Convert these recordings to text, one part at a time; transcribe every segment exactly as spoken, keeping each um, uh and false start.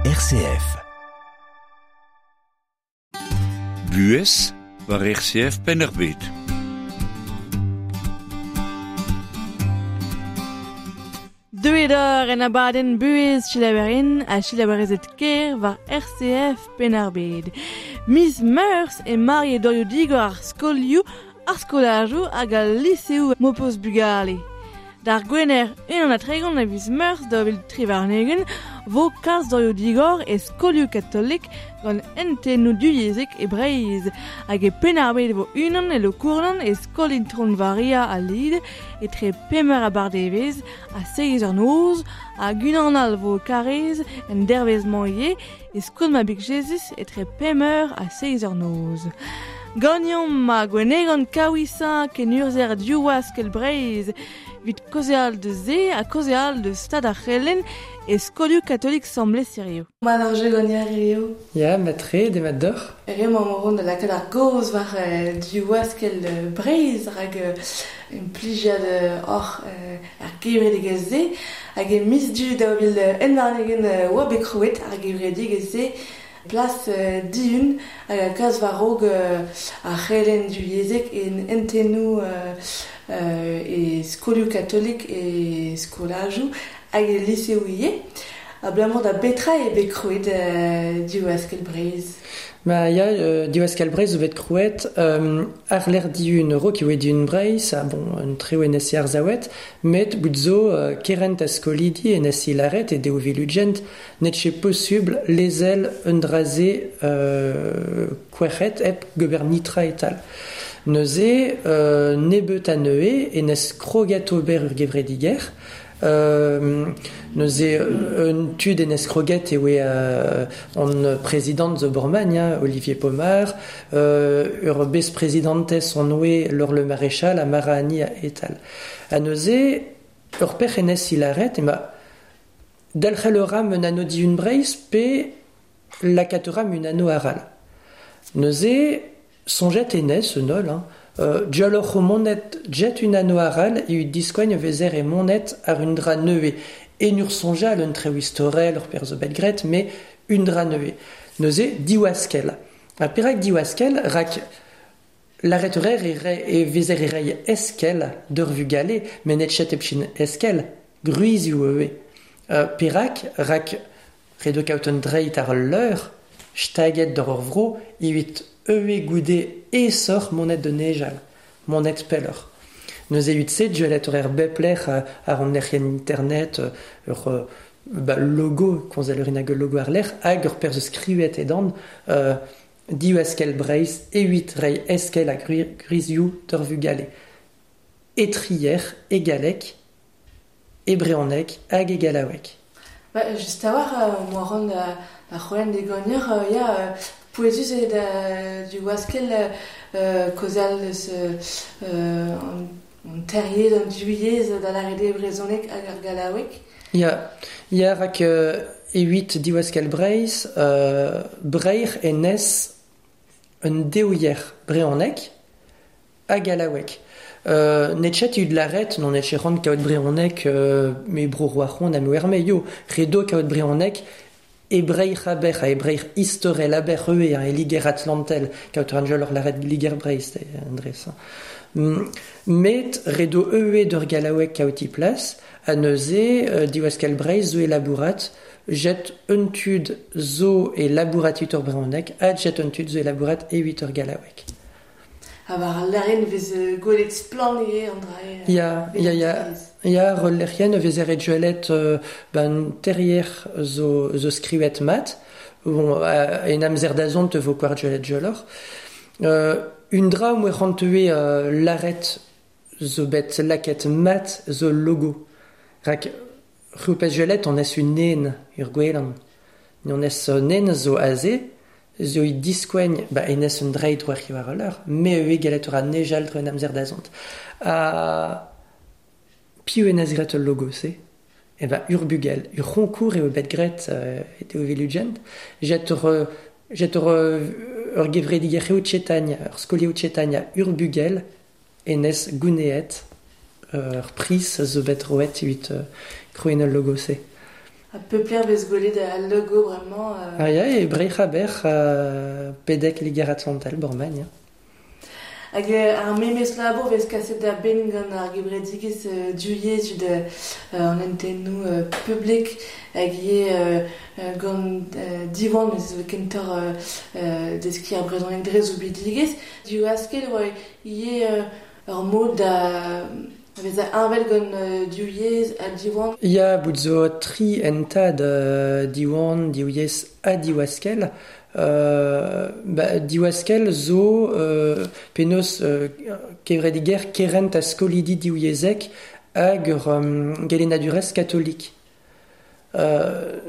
R C F. Buhez war R C F Penn-ar-Bed. Deuet eur en abadenn buhez selaouerien ha selaouerezed ker war R C F Penn-ar-Bed. Miz Meurzh e mare doioù digor ar skolioù, ar skolajoù hag al liseoù m'ho peus bugale. D'ar gwener unan ha tregont a viz Meurzh daou vil tri warn-ugent vo kalz doioù digor e skolioù katolik gant hentennoù divyezhek e Breizh. Hag e Penn-ar-Bed vo unan e Lokournan e skol Intron Varia al Lid etre pemp eur abardaevezh ha seizh eur noz hag unan all vo Karaez en dervezh-mañ ivez e skol Mabig Jezuz etre pemp eur ha seizh eur noz. Ganeomp ma Gwenegan Kaouisañ kenurzher Div Askell Breizh evit kaozeal deus se ha kaozeal deus stad ar c'helenn e skolioù katolik Sant-Blez hiziv. Ma ar jeu gant hiziv. Ya, matre, demat deoc'h. Hiziv emañ o vont da lakaat ar gaoz war Div Askell Breizh rak implijiad oc'h ar gevredigezh-se hag e miz Du daou vil un warn-ugent oa bet krouet ar gevredigezh-se plas dihun hag a kas war-raok ar c'helenn divyezhek en hentennoù e skolioù katolik e skolajoù hag e liseoù ivez. Abalamour da betra eo bet krouet Div Askell Breizh? Ma ya, euh, Div Askell Breizh zo bet krouet euh, ar lec'h dihun raok eo dihun Breizh, ha bon, un treo en esi ar zaouet, met bout zo euh, kerent a skolidi en esi laret e deo vilugent net che posubl lezel un draze euh, kouerc'het hep gober nitra etal. Neuze, euh, nebeut a neue en es kroget ober ur gevrediger. Euh, neuze un tud en es kroget e oe euh, on président zo Bormagn, hein, Olivier Pomar, euh, ur bez-presidentez on oe Laure Le Maréchal ha Mara Annie etal. Ha neuze, ur pec'h en es ilaret, ema delc'hel ur ram un anno dihun Breizh pe lakaat ur ram un anno aral. Neuze, soñjet en es, un holl, hein, Euh, Dialoc'h o monet jet un anno aral e ut diskoagn vezer e monet ar un dra neue. En ur soñjal un treo istorel ur perzh bet graet, me un dra neue. Neuze, diwaskel. Ha perak diwaskel, rak laret ur e re, e vezer e rei eskel d'ur vugale, met net chet epchin eskel, gruizioù eue. Euh, perak, rak redo kaout un dreit ar leur, staget d'ur ur vro, evit eue goude esoc'h monet de nejal, monet pelloc'h. Neuze evit se, duelet ur er bepler ar an lec'hienn internet, ur ba, logo, konzel ur inag logo ar lec'h, hag ur perzh skrivet edan, euh, Div Askell Breizh, evit rei eskel ha gwrizioù d'ur vugale. Etrier, e galleg, e brezhoneg hag e gallaoueg. Ba, just a-walc'h, euh, moa ran da, da c'houlenn de gagneur, euh, ya, euh, pouezus eo da Div Askell euh, kaozeal eus euh, an, an teryezh, an divyezh da lâret eo brezhoneg hag ar gallaoueg. Ya, ya rak euh, evit Div Askell Breizh, euh, Breizh enez un deouier brezhoneg ha gallaoueg. Euh, netchet eo laret, non netchet ran kaout brezhoneg, euh, me bro roac'hon ha me erme yo, redo kaout brezhoneg e Breizh aber ha e Breizh istorel aber eue hein, e Liger Atlantel, kaout ran jol ur laret Liger Breizh, Andrés. Mm, met redo eue d'ur gallaoueg kaout i plas, ha neuze, euh, Div Askell Breizh zo e labourat, jet un tud zo e labourat evit ur brezhoneg, ha jet un tud zo e labourat evit ur gallaoueg. Ha war al lec'hienn vez gwelet splann ivez an dra eo. Ya, ya, ya. Ya, ar lec'hienn vez eret gwelet euh, ben terrier zo, zo skrivet mat. Bon, en amzer dazont vo kwar gwelet joloc'h. Euh, un dra moe c'hanteue euh, laret zo bet laket mat zo logo. Rak c'houpez gwelet on es un nen ur gwelan. On es nen zo aze, zo i diskoagn, ba enez un dreit war war a leur, me eue galet ur a nejal dre un amzer dazont. Ha piv enez graet ul logo se? E ba ur bugel, ur c'honkour eo bet graet euh, et eo velugent, jet ur, jet ur, ur gevrediger eo tchetagn, ur skolio tchetagn ur bugel enez gouneet ur pris zo bet roet evit euh, krouenn ul logo se. A peupler vez gwelet al logo vraiment. Euh... Ah ya, e breic'h aber euh, pedek Liger-Atlantel Bormagn. Ya. Hag ar memes labour vez kaset da ben gant ar gevredigezh euh, divyezh de euh, an entennoù euh, publik hag ivez euh, gant euh, Diwan mes zo kentoc'h euh, euh, deskiñ ar brezhoneg dre zoubidigezh. Diwaskel oa ivez euh, ur mod da vez a envel gant euh, divyezh ha Diwan. Ya, bout zo tri entad euh, Diwan, divyezh ha Diwaskel. Euh, ba, Diwaskel zo euh, penaos euh, kevrediger kerent a skolidi divyezhek hag ur um, gelennadurezh katolik. Euh,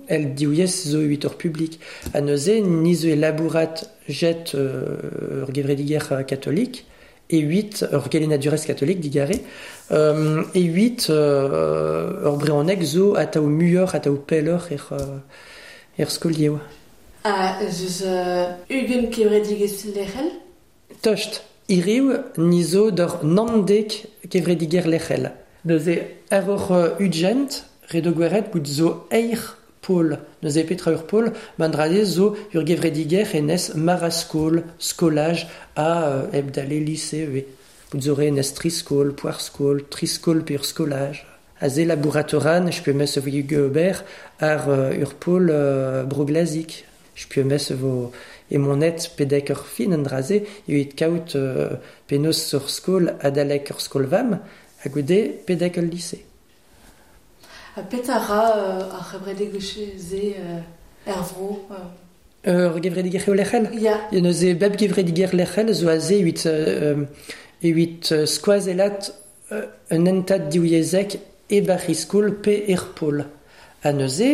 el divyezh zo evit ur publik. Ha neuze ni zo e labourat jet euh, ur gevrediger katolik e huit ur gelennadurezh katolik digare euh, e huit euh, ur brezhoneg zo atav muioc'h atav pelloc'h er, er skolioù. Ah, zeus euh, ugent kevredigezh lec'hel? Tost, hiriv ni zo d'ur nandek kevrediger lec'hel. Neuze ar ur ugent, redo gweret bout zo eir pol. Neuze petra ur pol, mandrade zo ur gevrediger enez maraskol, skolaj a euh, hebdale lycée e. Bout zo re enez triskol, poarskol, triskol pe ur skolaj. Aze labouratoran, je peux mes vo ober ar euh, ur pol euh, broglazik. Je peux mes vo e monet pedek ur fin an draze evit kaout euh, penaos ur skol adalek ur skol vam ha goude pedek ul lycée. Ha petra ra euh, ar c'hevredigezh-se euh, er vro euh... Ur gevrediger eo lec'hel? Ya. Ya neuze bep gevrediger lec'hel zo aze evit, euh, evit skoazellat euh, un entad divyezhek e bar skol pe er pol. Ha neuze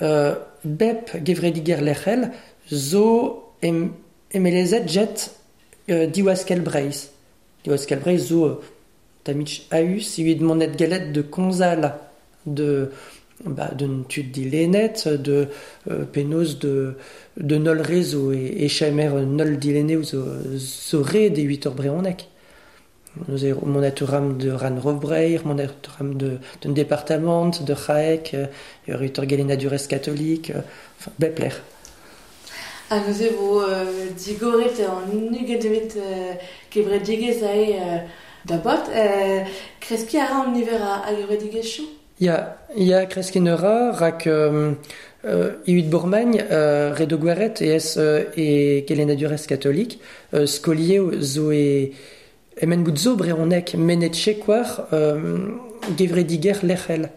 euh, bep gevrediger lec'hel zo em, emelezet jet euh, Diwaskel Breizh. Diwaskel Breizh zo euh, tamich aüs evit monet galet de konzal de ba d'un tud dilennet de euh, penaos de de nol rezo e, e chamer nol dilenne zo zo re de huit ur brezhoneg. Neuze monet ram de ran Rovbreir, monet ram de d'un département de C'haek, ur ur gelennadurezh katolik, enfin bep lec'h. Ha neuze vo euh, digoret an ugent evit euh, kevredigezh ae euh, da bot. Euh, kreskiñ a ra an niver a, a gevredigezhioù? Ya, ya kreskiñ a ra, rak euh, euh, evit Bourmagn, euh, redo gweret e ez euh, e gelennadurezh katolik, euh, skolioù zo e Emen bout zo brezhoneg menet chekwar euh, gevrediger lec'hel.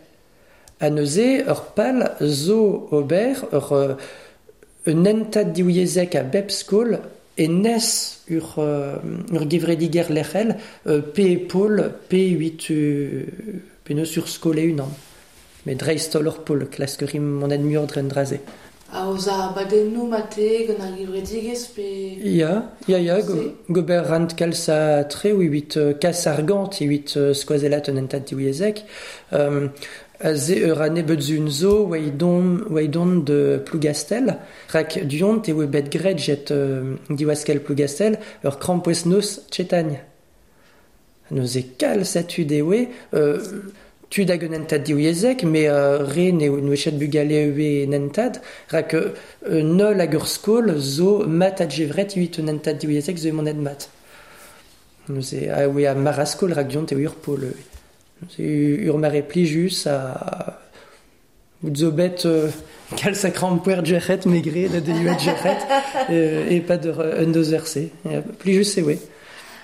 Ha neuze ur pal zo ober ur euh, un entad divyezhek a bep skol e nes ur, euh, ur gevrediger lec'hel euh, pe e pol pe huit euh, pe neus ur skol e unan. Met dreist-holl ur pol klask rim monet muioc'h dre an dra-se. Ha oz ar badennoù mate gant ar gevredigezh pe... Ya, ya, ya, go, gober rant kalz a tre evit euh, kas argant evit euh, skoazellat un entad divyezhek. Euh, aze ur ane beut zun zo oa oa de Plougastel. Rak duont e oa bet graet jet euh, Diwaskel Plougastel ur krampouezh noz Tchetagn. Neuze kalz a tud e oa... Euh, tud hag un entad divyezhek, met euh, re ne n'oa chet bugale eo en entad, rak euh, nol hag ur skol zo mat a djevret evit un entad divyezhek zo monet mat. Neuze a oa a maraskol rak diont eo ur pol. Neuze ur mare plijus a bout zo bet euh, kalz a krampouezh djec'het megre da deuet djec'het euh, e pad ur un deus verse. Plijus e oa.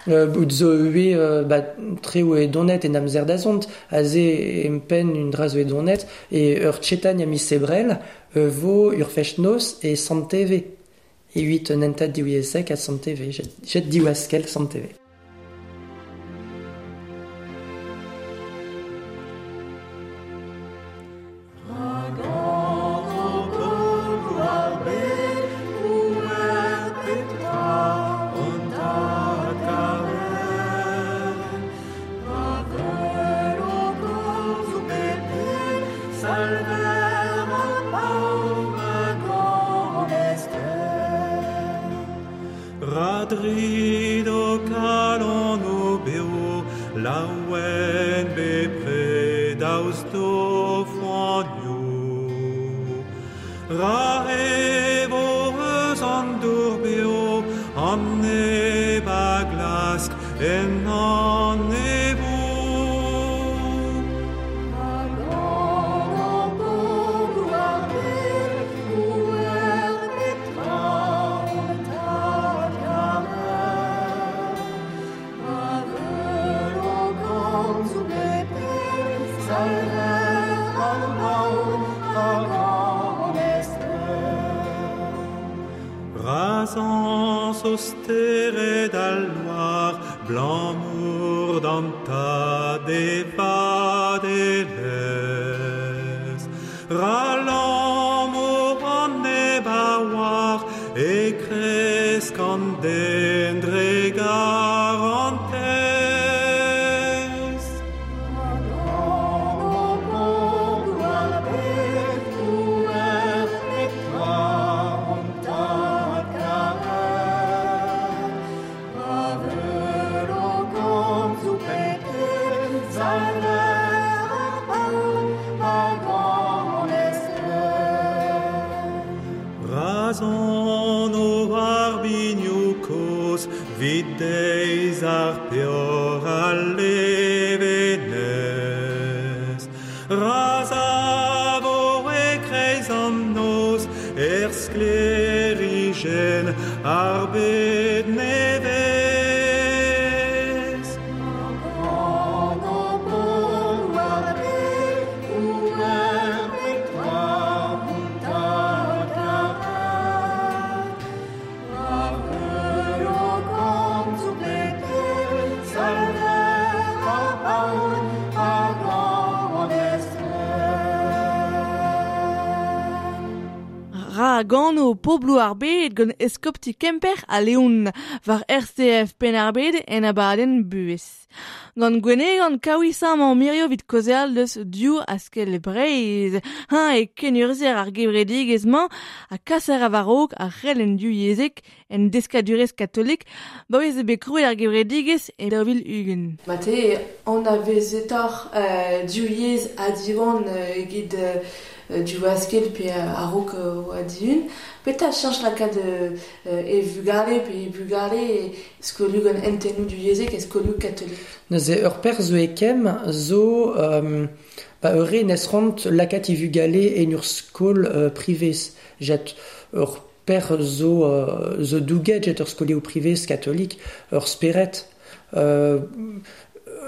Euh, bout zo eo euh, ba, tre oa e donet en amzer da zont, aze empenn un dra zo e donet, e ur tchetagn a miz sebrel euh, vo ur fest-noz e Sant-Teve. Evit un entad divyezhek a Sant-Teve, jet, jet Diwaskel Sant-Teve. Radrido kalon o beo, laouen bepred daoust d'o foanioù. Ra evo eus an dour beo, an neb a glask en an evo. Razan sosteret al loir, blanc-mour d'anta de vadelez. Ralam o an neb a oar, e kresk an den dre garantez. Razan o ar binioù koz, vid deiz ar peoc'h al levenez. Razavo e kreiz an noz, er sklerijenn ar bed nevez. Ra gano poblou ar bed gant eskopti Kemper a Leon war R C F Penn-ar-Bed en abadenn buhez. Gant Gwenegan kaouisañ mañ mirio vit kaozeal deus div askell Breizh. Hañ e kenurzhier ar gevredigezh-mañ ha kaser a war-raok ar c'helenn divyezhek en deskadurezh katolik ba vez bet krouet ar gevredigezh e daou vil ugent. Mate an a vezetoc'h euh, divyezh ha diwan euh, egit euh, du waskel pe a-raok oa dihun. Petra chañch lakaat euh, e vugale pe e bugale e skolioù gant hentennoù divyezhek e skolioù katolik? Neuze ur perzh zo e kemm zo euh, ba ur re nes ront lakaat e vugale en ur skol euh, privez. Jet ur perzh zo, euh, zo douget jet ur skolioù privez katolik, ur spered. Euh,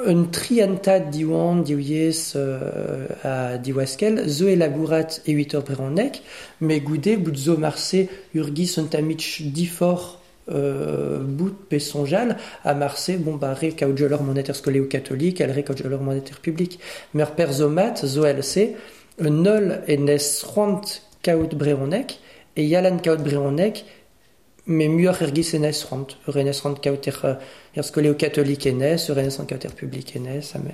Un triantad diwan, diwyezh euh, a diwaskel, zo e labourat e huit ur brehonek, me goude bout zo marse urgis un tamich difor euh, bout pe sonjal, a marse, bon ba re kaout jolor monet er skoleo katolik, al re kaout jolor monet er publik. Mer per zo mat, zo L C, un ol en es c'hoant kaout brehonek, e yalan kaout brehonek, me muioc'h ergis en es c'hoant. Ur en es c'hoant kaout er, er skoleo katolik en es, ur en es c'hoant kaout er publik en es, ha me...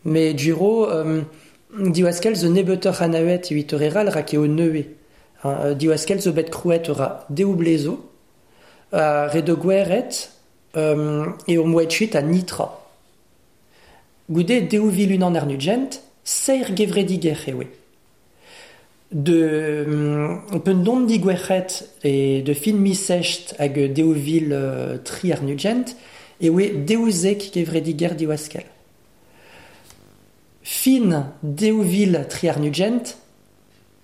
Me duro, euh, diwaskel zo nebeutoc'h anavet evit ur eral rak eo neue. Hein, diwaskel zo bet krouet ur a deoublezo, a redo gweret, euh, e ur moetchuit a nitra. Goude deou vil unan ar nugent, seir gevrediger ewe. De um, pen don digwerc'het e de fin misecht hag deou vil euh, tri ar nugent, ewe deouzek gevrediger diwaskel. Fin deou vil tri ar nugent,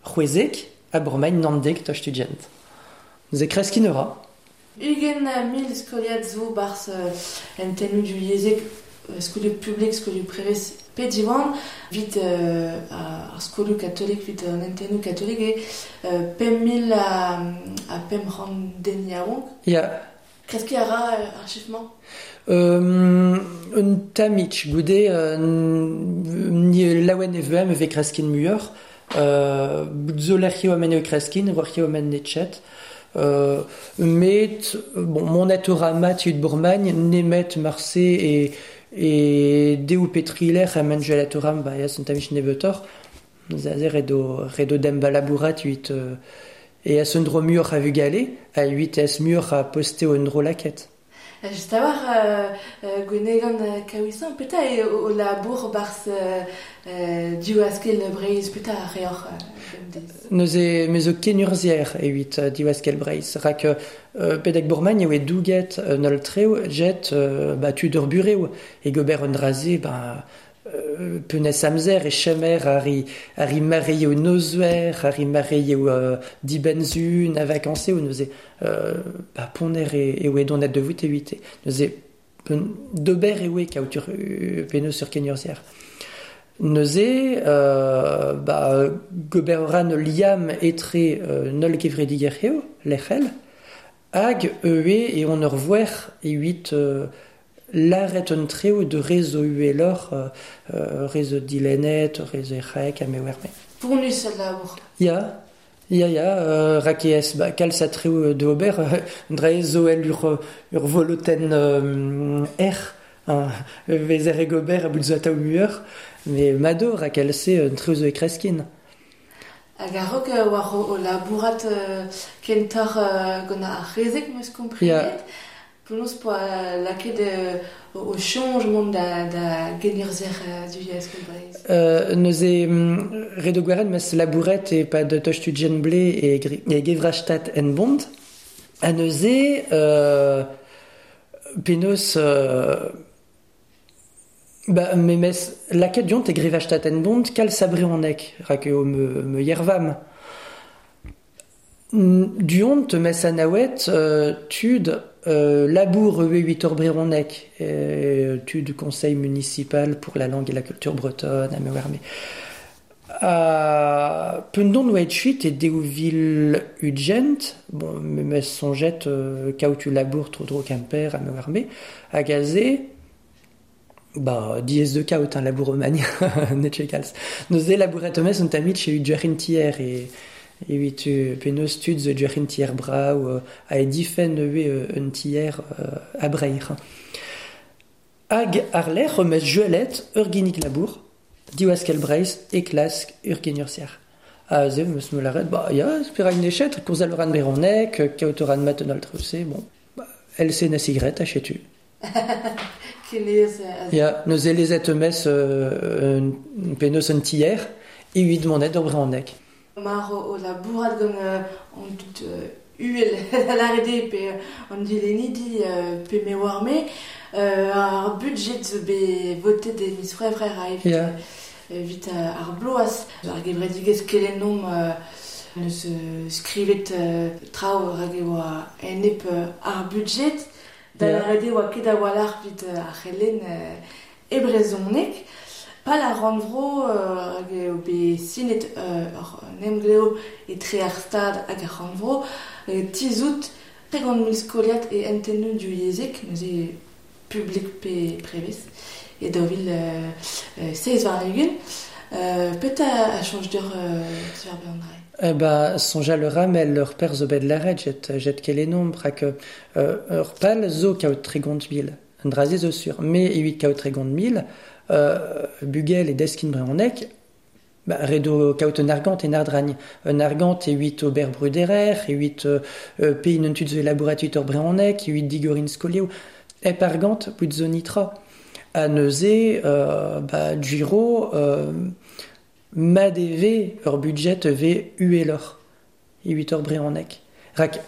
c'hwezek a bremañ nandek toch tugent. Ze kreskin ura. Ugent mil skoliad zo barz euh, hentennoù divyezhek, skolioù publik, skolioù prevez pe diwan, vit euh, ar skolioù katolik, vit an hentennoù katolik e euh, pemp mil a, a pemp c'hant den yaouank. Ya. Kreskiñ a ra ar chiffre-mañ? Euh, un tamich, goude, euh, ni laouen e vem e vez kreskin muioc'h. Euh, bout zo lec'hioù amen eo kreskin, warc'hioù amen netchet. Euh, met, bon, mon ur mat ut Bourmagne, nemet marse e, e deou petriler amen gelatoram, ba, ya son tamich nebeutoc'h. Zaze redo, redo dem balabourat uit, euh, e a son dro muioc'h a vugale, a uit es muioc'h a poste o dro laket. Just a war euh, euh, gwenegan euh, kaouisan, peta e o, o labour barz euh, euh, Diwaskel Breiz, peta a reor euh, Neuze me zo kenurzier evit uh, Diwaskel Breiz. Rak euh, pedek bourmagn eo e douget euh, nol treo jet euh, ba tud ur bureo e gober un draze ba euh, penes amzer e chemer ar i, ar i mareio nozwer, ar i mareio euh, dibenzun a vakanseo neuze euh, ba poner e, e oe donet de vout e huite. Neuze pen, dober e oe kaout ur penaos sur kenurzier. Neuze, euh, ba, gober ran liam etre euh, nol kevrediger eo, lec'hel, hag eue e on ur voer e huit euh, laret un treo de rezo uelor, euh, euh, rezo dilenet, rezo ec'haek, a me werme. Pournus al labour. Ya, ya, ya, euh, rakeez, ba, kalz a treo de ober, euh, dre zo el ur, ur voloten euh, er, hein, vezer e gober a bout zo atav muur, mais mado rakel se un treo zo e kreskin. Hag a-raok euh, war o, o labourat euh, kentor euh, gant ar c'hezeg meus komprenet. Ya. Penaos poa lakaet euh, o, o choñj mont da, da genurzer euh, Diwaskel Breiz. Euh, neuze mm, redo gwaren mes labouret e pad tostu ble e, gri, e gevrachtat en bond. Ha neuze euh, penaos euh, ba, memes lakaet diont e grevachtat en bond kal sabreonek rak eo me, me yervam. Diont mes anaouet euh, tud euh, labour e huit ur breonek euh, tud conseil municipal pour la langue et la culture bretonne a me werme. Uh, pendon oa et e deouvil ugent, bon, memes sonjet euh, kaout u labour tro dro kemper a me werme, hag aze, ba, diez de kaout un labour romani, netche kalz. Neuze labouret mes un tamit che u duarin tier e e huit penaos tud zo duarin tier brau euh, a e difen eue un tier euh, a breir. Hag ar lec'h mes juelet ur ginnig labour, Diwaskel Breiz e klask ur kenurzier. A ze meus me laret, ba ya, spera un echet, kourz al ran beronek, kaout ran mat an altrose, bon, ba, el se na sigret a chetu. Kenez euh, Ya, neuze lezet mes euh, un penaos un tier, e huit monet d'ur breonek. Mar o, o labourat gant euh, an dud euh, uhel l'arede pe euh, an dilenidi euh, pe me warme euh, ar budget zo bet votet e miz c'hwevrer a evit, Ya. evit euh, ar bloaz. Ar gevredigezh kelennomp euh, neus euh, skrivet euh, traoù rag e oa enep euh, ar budget da Ya. l'arede oa ket a-walc'h evit euh, ar c'helenn euh, e brezhoneg. Pal ar rannvro euh, hag eo bet sinet euh, ur emglev etre ar stad hag ar rannvro euh, tizout tregont mil skoliad e entennoù du yezhek, neuze publik pe prevez, e daou vil euh, euh, seiz warn-ugent. Euh, petra a chañj d'ur euh, sur ar bean dra? Eh ba, soñjal ur ramel ur per zo bet laret jet, jet kelennomp rak euh, ur pal zo kaout tregont mil. Un draze zo sur, me e huit kaout tregont mil, euh, bugel e deskin breonek, ba, redo kaout un argant e ardragn. Un argant e huit ober bruderer, e huit euh, euh, pe un tud zo elaboratut ur breonek, e huit digorin skolioù, ep argant bout zo nitra. A neuze, euh, ba, giro, euh, ma deve ur budget ve uelor, e huit ur breonek. Rak,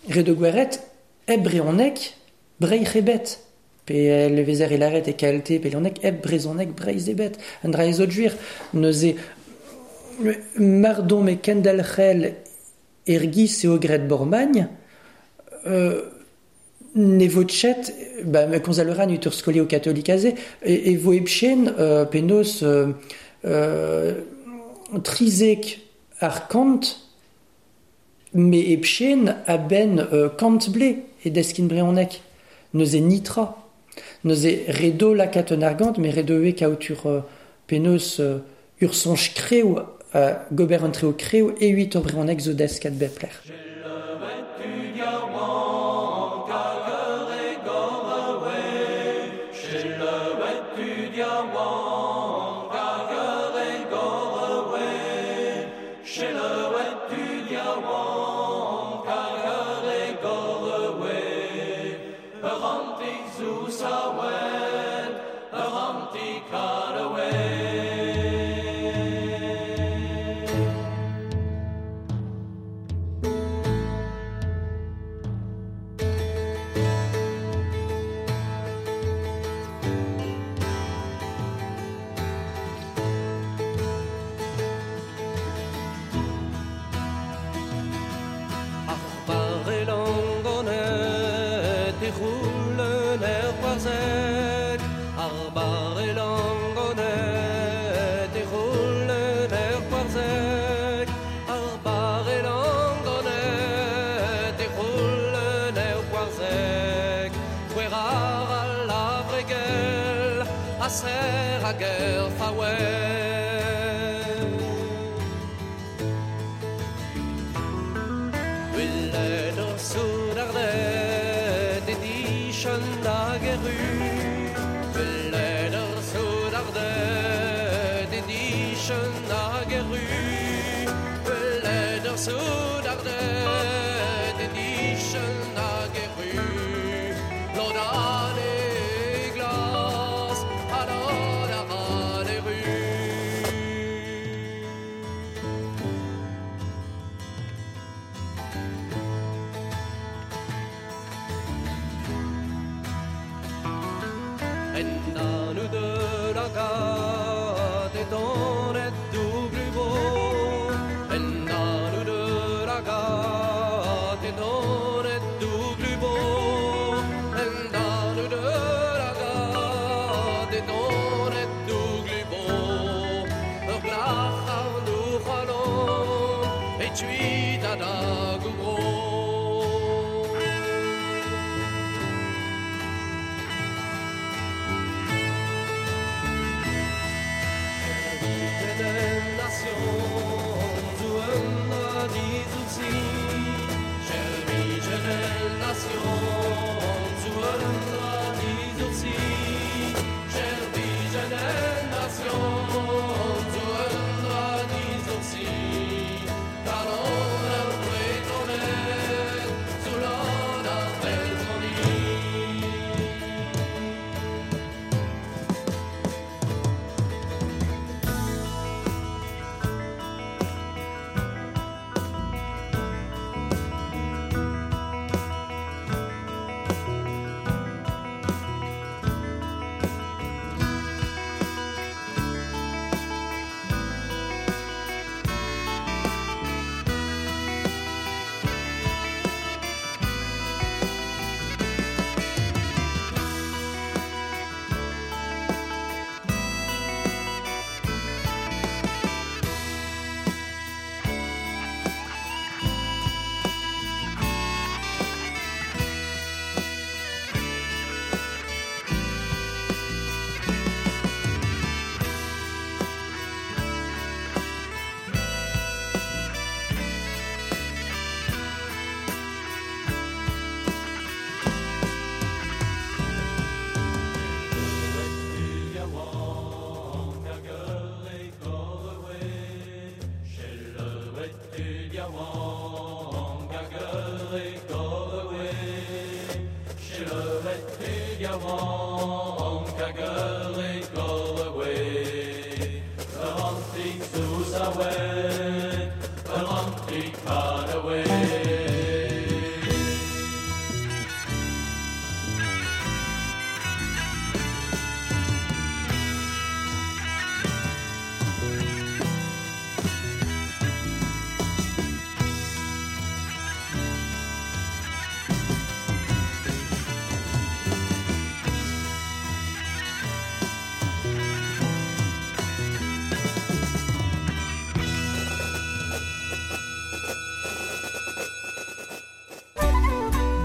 redo gweret, ep breonek, breic'h ebet. Pe levezer e laret e kalte, pe leonek, ep brezonek, breiz ebet. Un dra ez juir, neuze, mardon me kendalc'hel ergis eo gret bormagn, euh, ne vo chet, ba, me konzal ran ut ur skolio katolik aze, e, e vo ebchen euh, penaos euh, euh, trizek ar kant, me ebchen a ben euh, kant ble e deskin breonek. Neuze nitra. Neuze redo lakat un argant, me redo e kaout ur euh, penaos euh, ur soñj kreo, euh, gober un treo kreo e huit ur breonek zo deskat bepler. Ur Ur antik zo sawet, ur antik karawe.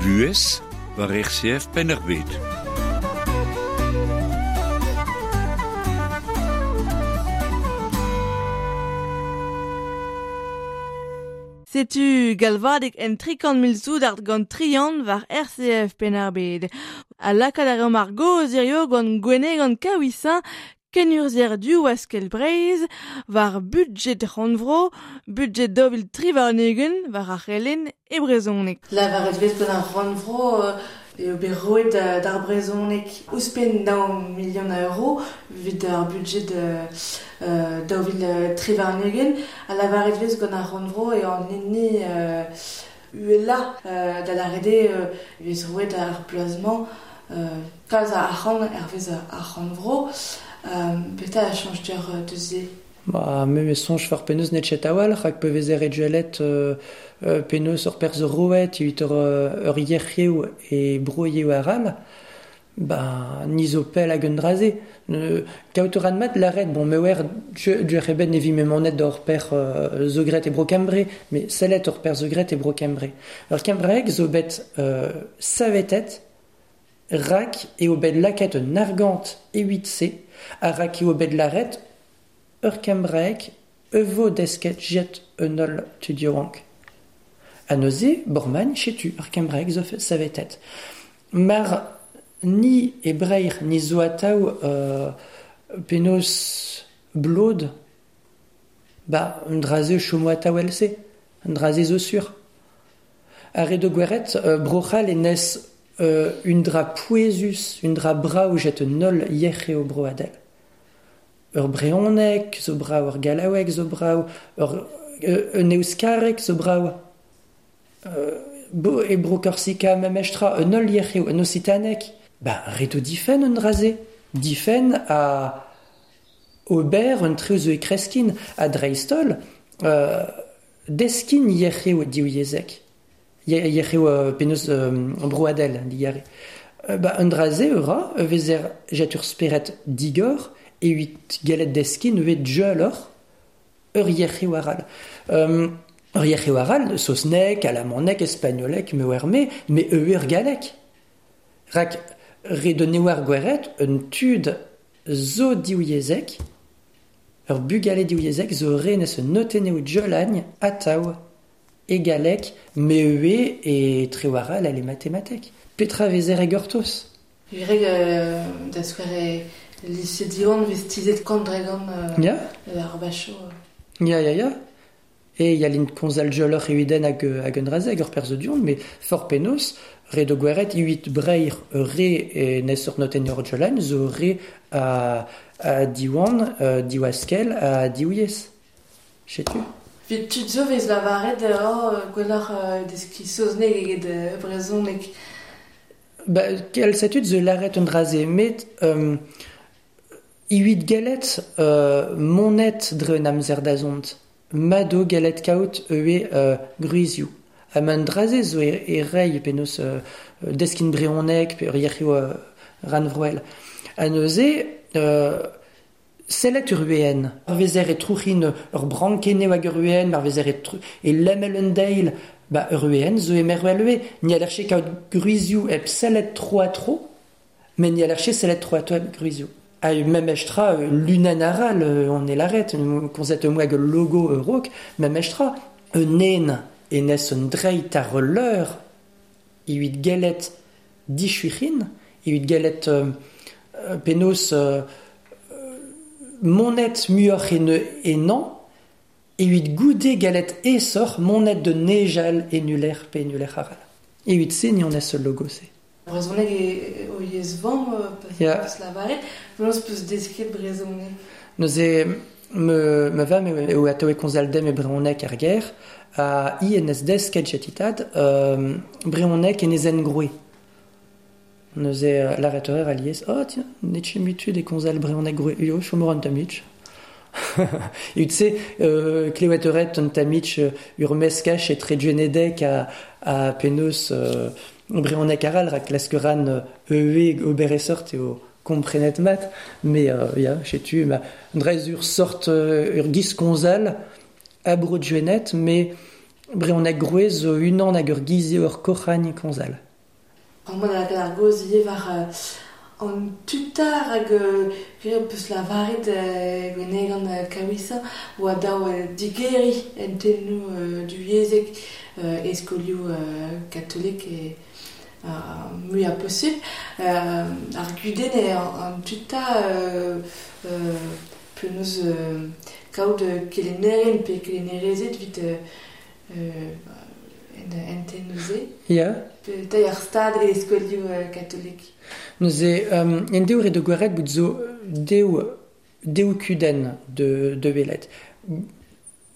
Buhez war R C F Penn-ar-Bed. Setu galvadeg en trikant mil soudard gant trian war R C F Penn-ar-Bed. A lakaat ar eo ar goz hirio gant Gwenegan Kaouisin, kenurzier du waskel Breizh, war budget rannvro, budget dobil tri warn-ugent war ar c'helenn e brezhoneg. La war ez vez gant ar rannvro, eo bet roet d'ar brezhoneg ouzhpenn daou milion a euro evit ar budget euh, daou vil tri warn-ugent a lavaret vez gant ar rannvro e an hini euh, uhelañ euh, da lâret eo euh, vez roet ar bloaz-mañ euh, kalz a arc'hant hervez ar rannvro euh, petra a chañj deoc'h deus se. Ba, me me soñj for penaos net chet a-walc'h rak pe vezer e dualet euh, euh, penaos ur perzh roet evit ur, ur yec'hioù e broioù aral, ba, ni zo pell hag un draze. Ne, kaout ur mat laret, bon, me oer du eben evi me monet d'ur per euh, zo gret e bro Kembre, mais sellet ur per zo gret e bro Kembre. Ur Kembreg zo bet euh, savetet rak eo bet laket un argant e huit C, a rak eo bet laret ur Kembraeg evo desket jet un ol tudiorank. A neuze, borman, chetu, ur Kembraeg zo savetet. Mar ni e breir ni zo atav euh, penaos blod, ba, un draze chomo atav else, un draze zo sur. Ar edo gweret, euh, brochal e nes euh, un dra pouezus, un dra brav jet un ol yec'heo broadel. Ur brehoneg zo brav, ur gallaoueg zo brav, ur un euskareg zo brav. Euh, bo, e bro Korsika memestra, un ol yec'heo, un occitanek. Ba, reto difen un draze. Difen a ober un treo zo e kreskin, a dreistol, euh, deskin yec'heo div yezek. Yec'heo euh, penaos euh, broadel, digare. Euh, ba, un draze ura, vezer jet ur speret digor, e huit galet deskin evet djeulor ur yec'heo aral. Euh, ur yec'heo aral, saosnek, alamanek, espagnolek, me oer me, me eur galek. Rak redoneo ar gweret un tud zo div yezek, ur bugale div yezek zo re nes un noteneo djeulagn atav e galek, me ue e treo aral ale matematek. Petra vezer e gortoz. Vireg euh, da skouer e lycée Diwan vez tizet kant dregan euh, Ya. ar bacho. Ya, ya, ya. E ya lint konzal djeulor e uiden hag, hag un drazeg ur perz dion, mais for penaos, re do gweret huit breir re e nes ur noten ur djeulan, zo re a, a Diwan, uh, diwaskel, a diwyez. Chetu? Vit tud zo vez lavaret oh, gwelloc'h euh, deskiñ saozneg eget euh, brezhoneg. Ba, kel setud zo laret un draze, met euh, huit galet euh, monet dre un amzer da zont. Mado galet kaout eue euh, gruizioù. Ha man draze zo e, e rei penaos euh, deskin brehoneg pe ur yec'hioù euh, ranvroel. Ha neuze, euh, sellet ur uen. Ar vezer e trouc'hin ur brankeneo hag ur uen, ar vezer e, tru, e lemel un deil, ba ur uen zo e merwel ue. Ni a lerche kaout gruizioù hep sellet tro a tro, met ni a lerche sellet tro a tro hep gruizioù. Ha mem estra lunan aral, on e laret, konzet moa hag logo eurok, mem estra, un en e nes un dreit ar leur evit galet dichuic'hin, evit galet euh, penaos euh, monet muioc'h en enan, evit goude galet esoc'h monet de nejal enuler pe enuler aral. Evit se ni on es logo se. Brezhoneg e o yezh vamm Ya. peus lavaret, penaos peus desket brezhoneg. Neuze me, me vam eo atav e konzal dem e brezhoneg ar ger, a i en es desket jetitad euh, brezhoneg en ezen groe. Neuze laret ur alies, oh tiens, netche mutud e konzal brezhoneg groe, yo, chomor an tamich. E tu euh, klewet euret an tamich ur meskach e tre djenedek a, a penaos euh, brezhoneg aral rak klaskeran eue ober e sort eo komprenet mat, mais euh, ya, chetu, ma drez ur sort euh, ur giz konzal a bro djened, mais brezhoneg groe zo unan hag ur giz eo ur koc'hagn konzal. An mod hag ar goz ivez war euh, an tutar hag euh, peus lavaret euh, gwenegan euh, kawisa oa daou euh, digeri en tennoù euh, du yezek euh, e skolioù euh, katolik e euh, mui a posubl. Euh, ar gudenn e an, an tuta euh, euh, penaos euh, kaout kelennerien pe kelennerezed evit euh, euh, en entenouze. Ya. Pe ar stad e skolioù katolik. Neuze, um, en deo re de gwaret bout zo deo, deo kudenn de, de welet.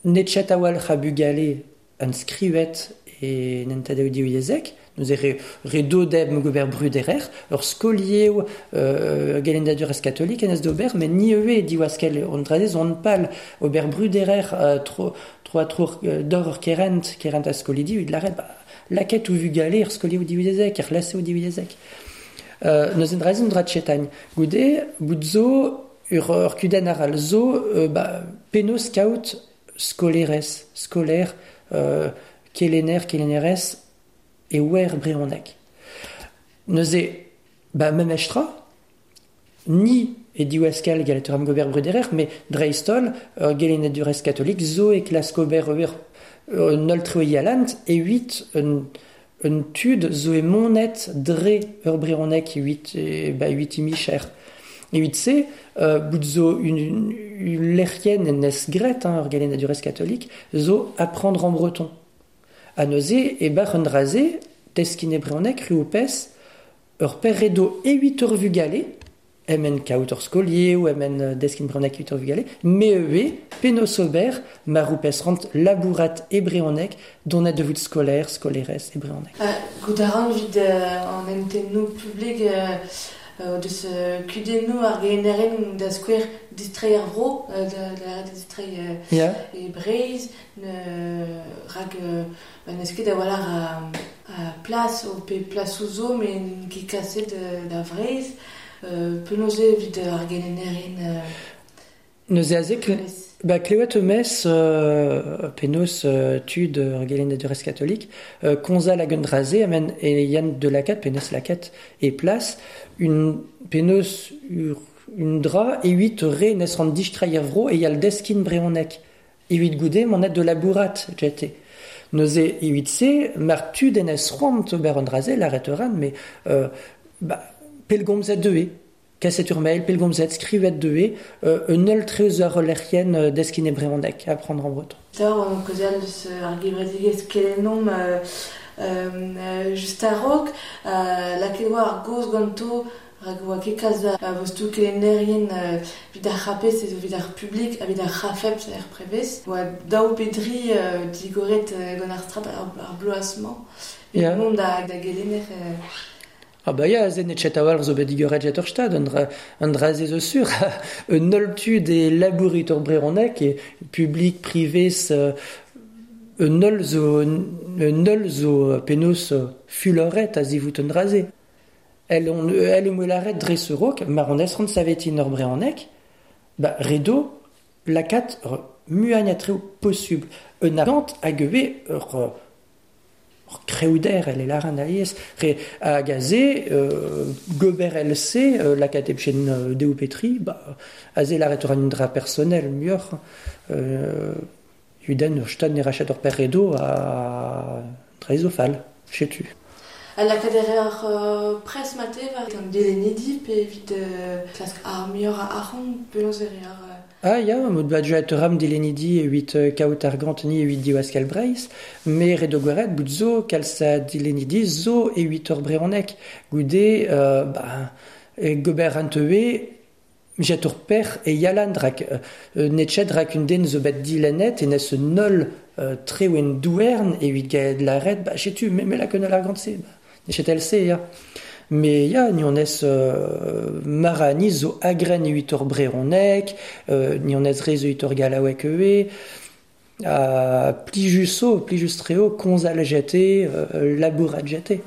Netchet awal c'ha bugale an skrivet e nentadeo diou yezek, neuze re, re dodeb gober bruderer, ur skoliev euh, gelendadur ez katolik en ez d'ober, met ni eue diwaskel on drazez on pal ober bruderer euh, tro, tro a tro euh, dor ur kerent, kerent a skolidi, ud laret, ba, laket ou vugale ur skoliev diou yezek, ur lase ou diou yezek. Euh, neuze drazez on dra tchetagn. Goude, bout zo, ur, ur kudenn ar al zo, euh, ba, penaos kaout skolerez, skolaer, euh, kelener, kelenerez, e wer breonek. Neuze, ba, mem estra, ni e diwaskal galetur am gober bruderer, me dreistol, ur gelenadurez katolik, zo e klask ober ur un ol treo yalant, e huit un, un tud zo e monet dre ur breonek huit, e, ba, huit imicher. E huit se, euh, bout zo une, une, une lerien en es gret, hein, ur gelenadurez katolik, zo apprendre en breton. A neuze, e bar un draze, teskin e breonek, ruopes, ur perredo e huit ur vugale, emen kaout ur skolier ou emen deskin breonek huit ur vugale, me eue, penos ober, ma roupes rant labourat e breonek, donet de vout skolaer, skolerez e breonek. Euh, gout a ran vid euh, an entennou publik euh, euh, deus euh, kudennou ar gelennerien da skouer distrei ar vro, euh, da, da distrei euh, yeah. e Breiz, ne, rag euh, ba n'eus ket a-walc'h a, a plas o pe plas ouzo, met ket kaset da Vreiz. Euh, penaos eo evit ar gelennerien euh, Neuze aze, kle, ba, klewet eumez euh, penaos euh, tud ur gelennadurez katolik, euh, konzal hag un draze, amen e yann de lakat, penaos lakat e plas, un penaos ur, un dra e huit re nes ran distraier vro e yal deskin breonek. E huit goude monet de labourat, jete. Neuze e huit se, mar tud en es c'hoant ober an draze, laret ran, mais euh, ba, pelgomzet deue, kaset ur mail, pelgomzet, skrivet deue, euh, un ul treuz ar lerien deskin e breonek, à prendre en breton. Taor, on kaozeal deus ar gevredigezh kelennomp euh, euh, just a-raok, euh, lakaet oa ar goz ganto, rak oa ket kalz a vostou kelennerien euh, evit ar c'hapez, evit ar publik, evit ar c'hafep, er prevez. Oa daou pedri euh, digoret euh, gant ar strat ar, ar bloaz-mañ. Yeah. Mont da, da gelenner... Euh, Ah ba ya, zen et chet awal zo bet digoret jet ur stad, un dra, un dra ze zo sur, un ol tud e labourit ur breonek, e publik, privé, euh, un ol zo, un ol zo penaos fuloret a zivout un dra ze. El on, el e moelaret dre ce rok, mar on esrant savetin ur breonek, ba redo lakat ur muagn a treo possible. Un argant hag eue ur ur kreouder, el e laran alies, re hag aze, euh, gober L C, euh, lakat ebchen euh, deo petri, ba, aze laret ur an dra personnel muioc'h, euh, uden ur stad ne rachat ur perredo a dreizofal, chetu. A lakaat ur euh, pres mate war an delenedi pe evit euh, klask ar muioc'h a arc'hant penaos e reer euh... Ah ya, mod bat joet ram delenidi e huit euh, kaout ar ganteni e huit diwaskal Breiz, me redo gwaret bout zo kalz a delenidi zo e huit ur breonek. Goude, euh, ba, e gober an teue, jet ur per e yalan drak, euh, netchet rak un den zo bet dilenet e nes un nol euh, treouen douern e huit gaet laret, ba chetu, me, me lak un ar gant se, ba, netchet L C, ya. Mais ya, ni on es euh, marani zo agren e huit ur breonek, euh, ni on es re zo huit ur galaouek eue, a plijuso, plijustreo, konzal jete, euh, labourat jete.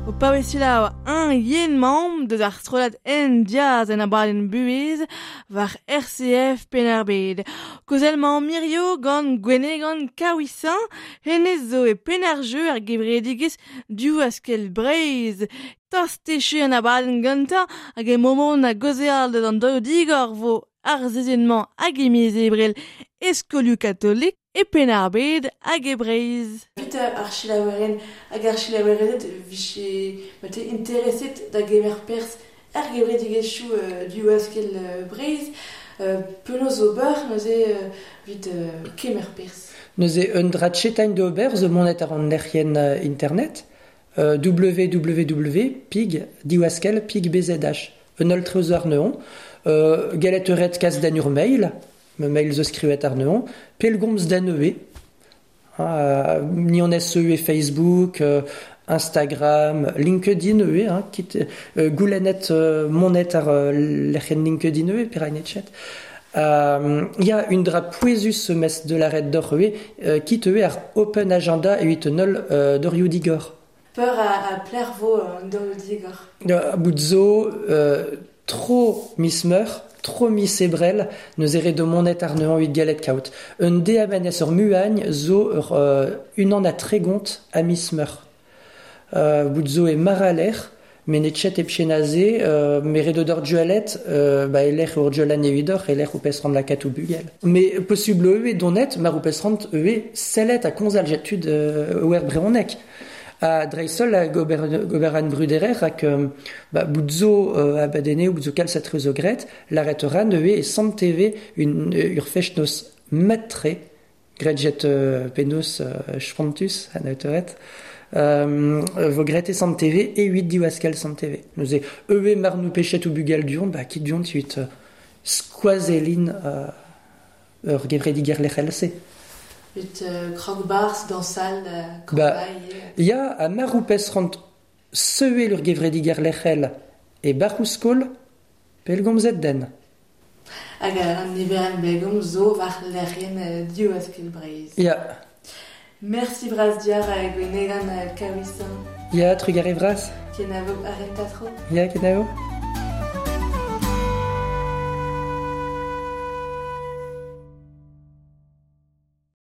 O paouez un yen mamm deus ar strollad en diaz en abadenn buhez war R C F Penn-ar-Bed. Kozel-mañ mirio gant Gwenegan Kaouisin, hennezh zo e Penn-ar-Jeu ar gevredigezh Div-Askell Breizh. Tost echu an abadenn gantañ hag e momont a gaozeal deus an daou digor vo ar sizhun-mañ hag e miz Ebrel e skolioù katolik e Penn-ar-Bed hag e Breizh. Vit ar chilaoueren hag ar chilaouerezed vije mate intereset da gemer perzh ar gevredigezhioù euh, Div-Askell Breizh euh, penaos ober neuze euh, vit euh, kemer perzh. Neuze un dra tchetain d'ober zo monet ar an lec'hienn internet euh, www pig diwaskell pig bzh un ul treuz ar neon euh, galet euret kas d'an ur mail me mail zo skrivet ar neon pelgomz d'an e euh, ni on S E Facebook euh, Instagram LinkedIn e hein, kit euh, goulennet euh, monet ar euh, lec'hienn LinkedIn e peranet chat. Euh, ya un dra pouezus mes de la red d'or e euh, kit e ar open agenda e huit nol euh, d'orioù digor. Peur a, a pler vo euh, d'orioù digor. Euh, bout zo euh, tro mismeur, tro misebrel, neus ere de monet ar neuan huit galet kaout. Un D M N S ur muagn zo ur euh, unan a tregont a mismeur. Euh, bout zo e maraler, met chet e pchenaze, euh, mere d'or dualet, euh, ba eler ur dualan e huidor, eler ou pesrant la katou bugel. Mais possible e donet, mar ou pesrant e sellet a konzal jetud euh, oer breonek. A dreisol a gober, goberan bruderer ak euh, ba, bout zo euh, abadene ou bout zo kalz a trezo gret, l'arret ran e e sant T V une ur fechnos matre, gret euh, penos euh, spontus an autoret. Euh, vo gret e sant T V e huit diwaskell sant T V. Neuze e mar nou pechet ou bugal duon, ba kit duon huit euh, skoazelin euh, ur gevrediger lec'hel se. Ut euh, krog-bars dans salle euh, Ba, ya a mar ou pesrant seuel ur gevrediger lec'hel e barrouskol pelgomzet den. Hag an niverenn belgom zo war lec'hien euh, Div-Askell Breizh. Ya. Merci bras diar a Gwenegan Kaouisin. Ya, trugare vras. Kenavo arrentatro. Ya, kenavo.